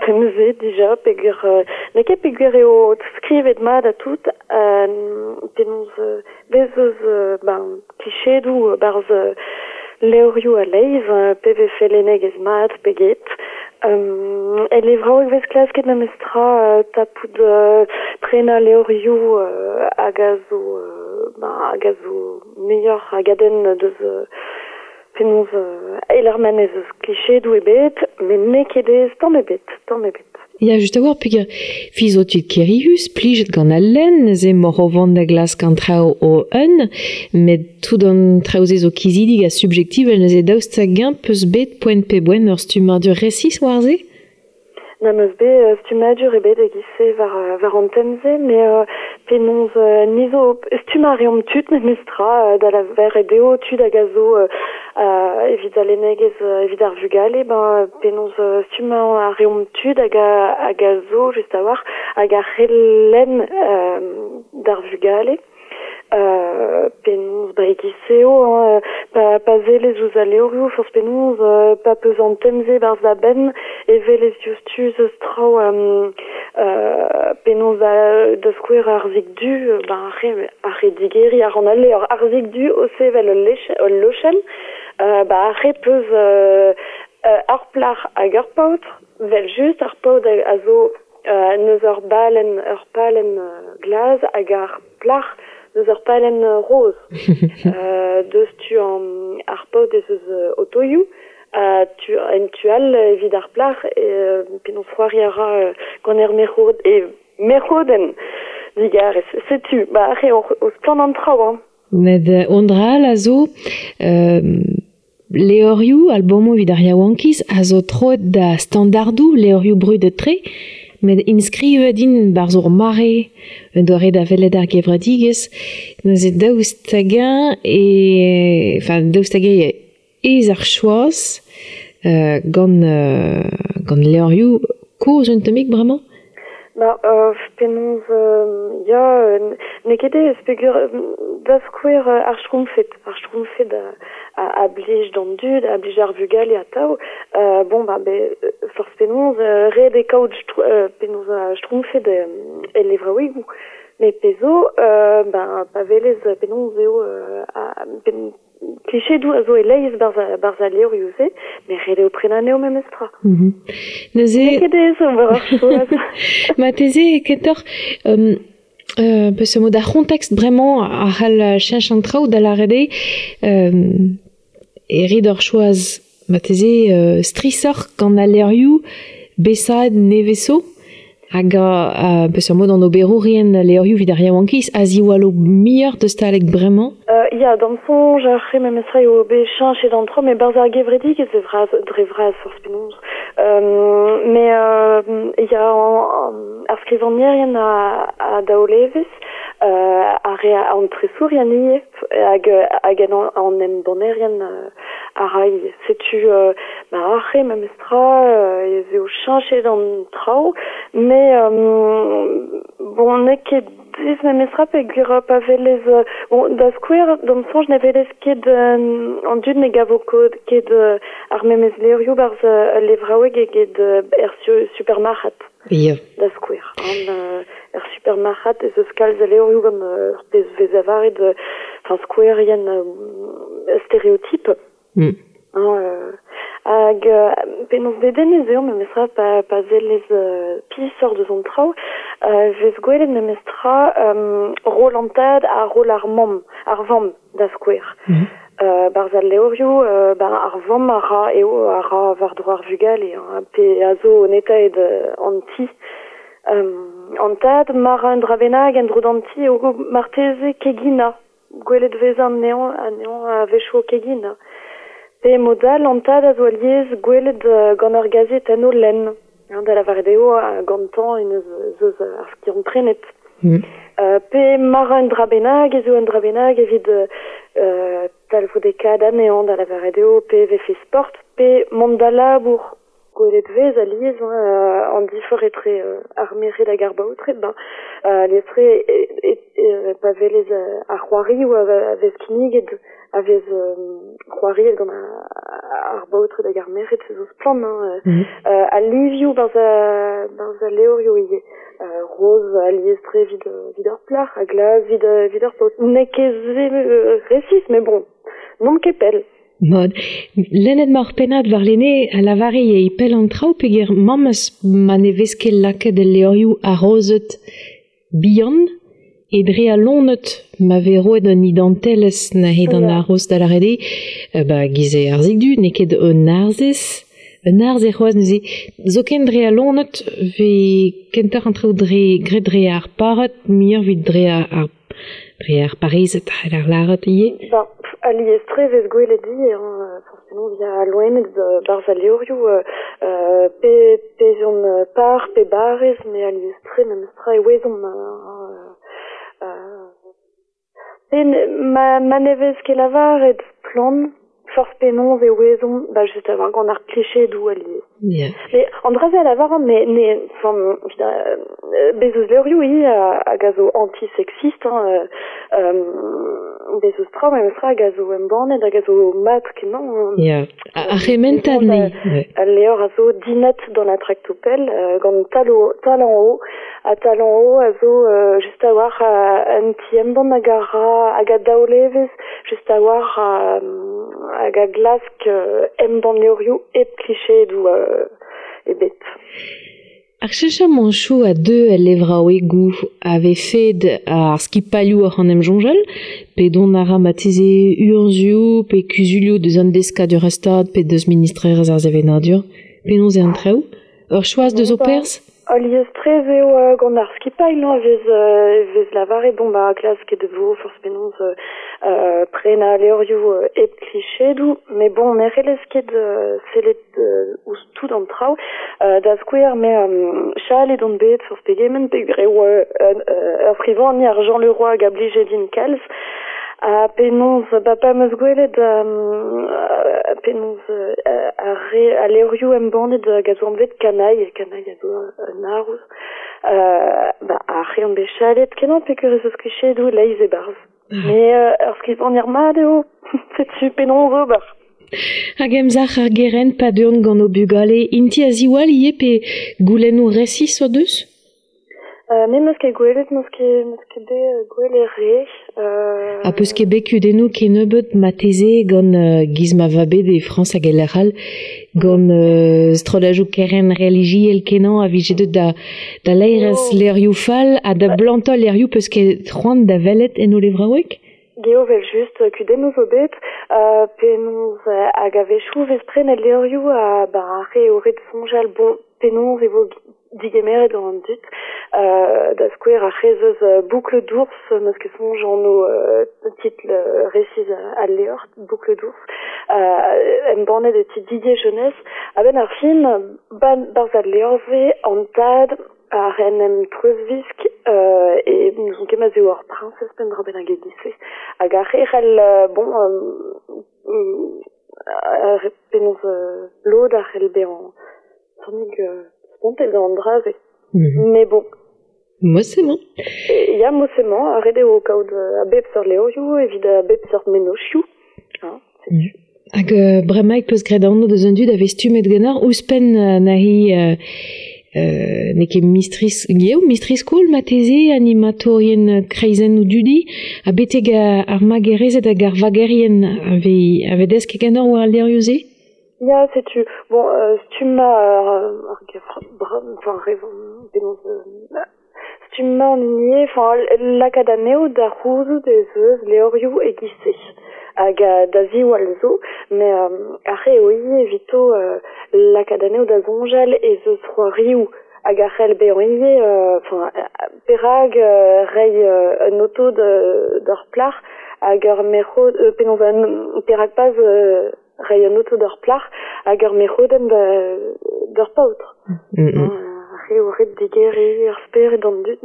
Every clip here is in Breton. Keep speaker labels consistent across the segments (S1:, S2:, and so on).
S1: tem-se dija, peogwir n'eo ket peogwir eo skrivet mat ha tout, penaos bez eus ben, klichedoù 'barzh levrioù a-leizh, pe vefe lennegezh mat pe get. El levraoueg 'vez klasket memestra tapout prenañ levrioù hag a zo ben, hag a zo muioc'h a gadenn deus penaos e-lec'h ma n'ez eus klichedoù ebet, met n'eo ket aes tamm ebet, tamm ebet.
S2: Ya, just a-walc'h, peogwir fi zo tud kerius, plijet gant al lenn, neuze emaoc'h o vont da glask an traoù o-un, met tout an traoù-se zo kizidik ha subjektivel, neuze daoust hag-eñ 'peus bet poent pe boent ur stummadur resis war-se?
S1: N'am eus bet stummadur ebet e-giz-se war an tem-se, met penaos ni zo stummañ a reomp tud memestra da lavaret eo tud hag a zo evit al lennegezh evit ar vugale, ben penaos stummañ a reomp tud hag a hag a zo just a-walc'h hag a c'hell lenn d'ar vugale. Penaos ba e-giz-se eo hein, pa sellez ouzh al levrioù forzh penaos pa 'peus an tem-se 'barzh da benn e welez diouzhtu 'z eus traoù penaos da skouer ar zik du ben ar re digeriñ a ran al levr ar zik du o sevel ul lochenn ba ar re 'peus ur plac'h hag ur paotr 'vel-just ar paotr a zo n'eus ur balenn ur palenn glas hag ar plac'h n'eus ur palenn roz. Deus tu ar paotr ez eus otoioù ha tu en tu all evit ar plac'h penaos c'hoari a ra gant er merc'hod e merc'hodenn digarez. Setu ba aze o splann an traoù hein.
S2: Met un dra all a zo levrioù, albomoù evit ar yaouankiz a zo troet da standardoù levrioù brudet-tre, met inskrivet int 'barzh ur mare, un doare da welet ar gevredigezh. Neuze daoust hag-eñ e enfin daoust hag-eñ aes ar choaz gant gant levrioù kozh un tammig bremañ?
S1: Ba penaos ya n'eo ket aes peogwir da skouer ar Schtroumpfed. Ar Schtroumpfed a blij d'an dud, a blij d'ar vugale atav. Bon ba forzh penaos ret eo kaout penaos Schtroumpfed el levraouegoù. Met pezh zo ben pa welez penaos eo Klichedoù a zo e-leizh 'barzh al levrioù-se, met ret eo prenañ anezho memes tra.
S2: Neuze...
S1: N'eo ket aes ober ar choaz.
S2: Marteze kentoc'h peseurt mod ar c'hontekst bremañ a c'hall cheñch an traoù da lâret eo e rit ur choaz marteze strishoc'h gant al levrioù besaet nevez zo hag peseurt mod an oberourien levrioù evit ar yaouankiz a ziwallo muioc'h deus talek bremañ?
S1: Ya, d'am soñj ar re memestra eo bet cheñchet an traoù, met 'barzh ar gevredigezh e vras, dre vras forzh penaos. Mais ya, ar skrivagnerien a daol evezh, ar re an tresourien ivez hag hag an embannerien a ra ivez. Setu ma ar re memestra ez eo cheñchet an traoù, met bon n'eo ket diaes memestra peogwir pa welez bon da skouer d'am soñj ne welez ket an dud ne gavo ket ar memes levrioù 'barzh ul levraoueg eget er supermarc'had.
S2: Ya.
S1: Da skouer. Er supermarc'had ez eus kalz a levrioù gant ur pezh 'vez lavaret enfin skouerien stereotip. Hag penaos dedennus eo memestra pa sellez pisoc'h deus an traoù 'vez gwelet memestra roll an tad ha roll ar mamm, ar vamm da skouer. 'Barzh al levrioù ar vamm a ra eo a ra war-dro ar vugale hein, pe a zo netaet an ti. An tad ma ra un dra bennak en-dro d'an ti eo marteze keginañ. Gwelet 'vez anezhañ anezhañ a-wechoù o keginañ. Pe mod all an tad a zo alies gwelet gant ur gazetenn o lenn. Da lavaret eo gantañ en eus eus ar skiant-prenet. Pe ma ra un dra bennak ez eo un dra bennak evit talvoudekaat anezhañ, da lavaret eo pe vefe sport pe mont da labour. Gwelet vez alies hein, an difor etre ar merc'hed hag ar baotred, ben, alies-tre pa velez ar c'hoarioù a vez kinniget, a vez c'hoariet gant ar baotred hag ar merc'hed, se zo splann, hein, al livioù barzh al levrioù ivez. Roz alies-tre evit ar plac'h, ha glas evit ar paotr. N'eo ket se resis, mais bon, n'omp ket pell.
S2: Mod, lennet ma ur pennad warlene a lavare e pell an traoù peogwir mamm eus ma ne vez ket lakaet el levrioù arozet bihan e dre al loened ma vez roet un identelezh neuze d'an aroz da lâret eo, ba giz eo arzhig du, n'eo ket un arzhez, un arzh eo c'hoazh neuze. Zoken dre al loened 'vez kentoc'h an traoù dre graet dre ar pared muioc'h evit dre ar dre ar parezed c'heller lâret ivez.
S1: Ben, alies-tre 'vez gwelet ivez, hein, forcément via loened 'barzh al levrioù pe pe 'z on par pe barez, met alies-tre memestra e ouezomp ma ne vez ket lavaret splann forzh penaos e ouezomp ba just a-walc'h gant ar klichedoù alies. Mais an dra-se a lavaran, mais ne, enfin, bez eus levrioù ivez hag a zo anti-sexiste, hein, bez eus traoù memestra hag a zo embannet hag a zo mat-kenañ.
S2: Ya, ar c'hementad ne.
S1: Al levr a zo Dinette dans la tractopelle gant Tal en haut. Ha Tal en haut a zo just a-walc'h un ti-embann hag a ra hag a daol-evezh just a-walc'h hag a glask embann levrioù hep klichedoù ebet.
S2: Ar cheñchamanchoù a deu el levraouegoù a vefed ar skipailhoù oc'h en em soñjal, pe dont a ra marteze urzhioù pe kuzulioù deus an deskadurezh-stad pe deus ministrerezh ar sevenadur. Penaos eo an traoù? Ur choaz deus ho perzh?
S1: Alies-tre ez eo gant ar skipailh no, e vez lavaret bon ba klasket e vo forzh penaos prenañ levrioù hep klichedoù, met bon ne c'hellez ket sellet ouzh tout an traoù. Da skouer, me chalet on bet forzh pegement peogwir eo ur skrivagner Jean Leroy hag a blije din kalz. Ha penaos, ba pa 'm eus gwelet penaos ar re al levrioù embannet hag a zo anvet Canaille, Canaille a zo un haroz, ba ar re on bet chalet kenañ peogwir ez eus klichedoù leizh e-barzh. Mais ur skrivagner mat eo, setu penaos ober.
S2: Hag emzalc'h ar gerent pa deuont gant o bugale, int-i a ziwall ivez pe goulennoù resis o deus?
S1: Me 'meus ket gwelet, 'meus ket, 'meus ket bet gwelet re.
S2: Ha peus ket bet kudennoù kennebeut marteze gant giz ma va bet e Frañs hag e lec'h all, gant strolladoù kerent relijiel kenañ a vije deuet da, da laerezh levrioù fall ha da blantañ levrioù peus ket c'hoant da welet en o levraoueg?
S1: Geo evel-just, kudennoù zo bet, penaos hag a-wechoù 'vez prenet levrioù ha ba ar re eo ret soñjal bon penaos e vo digemeret gant an dud. Da skouer ar c'hez eus Boucle d'ours, 'meus ket soñj anv titl resis al levr, Boucle d'ours, embannet e ti Didier Jeunesse. A-benn ar fin, 'barzh al levr-se, an tad a en em treuzvisk e n'ouzon ket ma 'z eo ur priñsez pe un dra bennak e-giz-se. Hag ar re c'hell bon penaos lod a c'hell bezañ tammig spontet gant an dra-se. Mais bon.
S2: Mod-se-mañ.
S1: Ya, mod-se-mañ, ret eo kaout a bep seurt levrioù evit a bep seurt mennozhioù. Hein, setu.
S2: Hag bremaik peus graet anv deus an dud a vez stummet ganeoc'h ouzhpenn neuze n'eo ket mistri eo mistri-skol marteze, animatourien kreizennoù dudi, ha betek ar magerezed hag ar vagerien a vez desket ganeoc'h war al levrioù-se?
S1: Ya, setu. Bon, stummañ ar enfin, penaos stummañ an hini eo, enfin, lakaat anezho da c'houzout ez eus levrioù e-giz-se. Hag da ziwall zo, met ar re eo ivez evito lakaat anezho da soñjal ez eus c'hoarioù hag a c'hell bezañ ivez, enfin, perak reiñ un oto d'ur plac'h hag ur merc'hod, penaos perak pas reiñ un oto d'ur plac'h hag ur merc'hodenn d'ur paotr. Ar eo ret digeriñ ar spered d'an dud.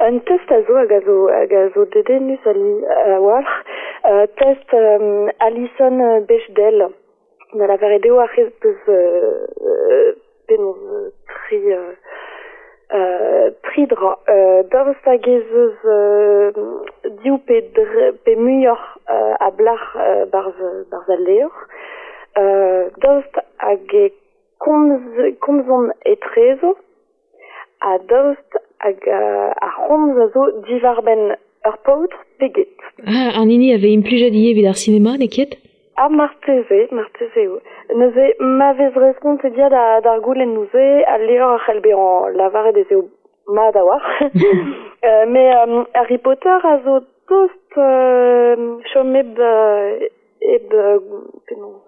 S1: Un test a zo hag a zo dedennus a-walc'h, test Alison Bechdel. Da lavaret eo ar c'hez peus penaos tri tri dra. Daoust hag ez eus div pe pe muioc'h a blac'h barzh barzh al levr. Daoust hag e komz komzont etrezo ha daoust hag ar c'homz a zo diwar-benn ur paotr pe get.
S2: Ah, an hini a vez implijet ivez evit ar sinema, n'eo ket?
S1: Ah, marteze, marteze eo. Neuze, ma vez respontet ya d'ar goulennoù-se, al levr a c'hell bezañ lavaret ez eo mat a-walc'h. Met Harry Potter a zo tost chom hep hep penaos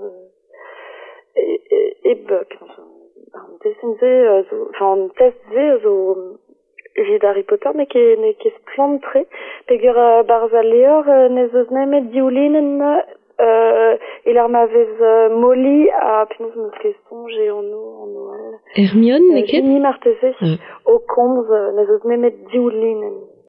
S1: hep penaos an destenn-se zo enfin an test-se a zo evit Harry Potter n'eo ket n'eo ket splann-tre peogwir 'barzh al levr n'ez eus nemet div linenn e-lec'h ma vez Molly ha penaos 'm eus ket soñj e anv anv all.
S2: Hermione n'eo ket?
S1: Ginny marteze o komz n'ez eus nemet div linenn.